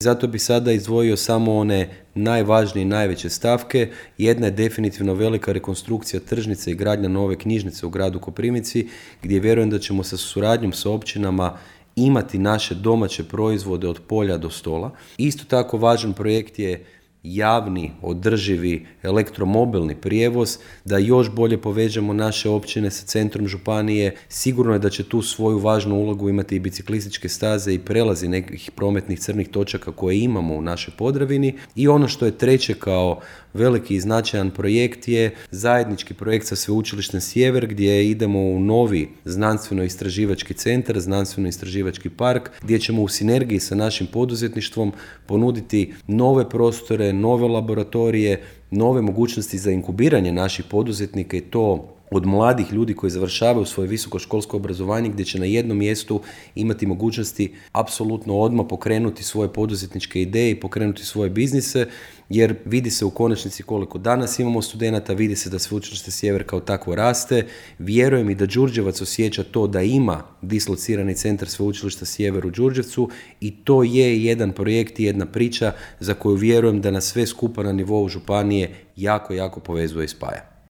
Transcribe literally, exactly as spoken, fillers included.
Zato bi sada izdvojio samo one najvažnije i najveće stavke. Jedna je definitivno velika rekonstrukcija tržnice i gradnja nove knjižnice u gradu Koprivnici, gdje vjerujem da ćemo sa suradnjom sa općinama imati naše domaće proizvode od polja do stola. Isto tako važan projekt je javni, održivi elektromobilni prijevoz, da još bolje povežemo naše općine sa centrom županije. Sigurno je da će tu svoju važnu ulogu imati i biciklističke staze i prelazi nekih prometnih crnih točaka koje imamo u našoj Podravini. I ono što je treće kao veliki i značajan projekt je zajednički projekt sa Sveučilištem Sjever, gdje idemo u novi znanstveno-istraživački centar, znanstveno-istraživački park, gdje ćemo u sinergiji sa našim poduzetništvom ponuditi nove prostore, nove laboratorije, nove mogućnosti za inkubiranje naših poduzetnika i to od mladih ljudi koji završavaju svoje visokoškolsko obrazovanje, gdje će na jednom mjestu imati mogućnosti apsolutno odmah pokrenuti svoje poduzetničke ideje i pokrenuti svoje biznise, jer vidi se u konačnici koliko danas imamo studenata, vidi se da Sveučilište Sjever kao takvo raste. Vjerujem i da Đurđevac osjeća to da ima dislocirani centar Sveučilišta Sjever u Đurđevcu i to je jedan projekt i jedna priča za koju vjerujem da nas sve skupa na nivou županije jako, jako povezuje i spaja.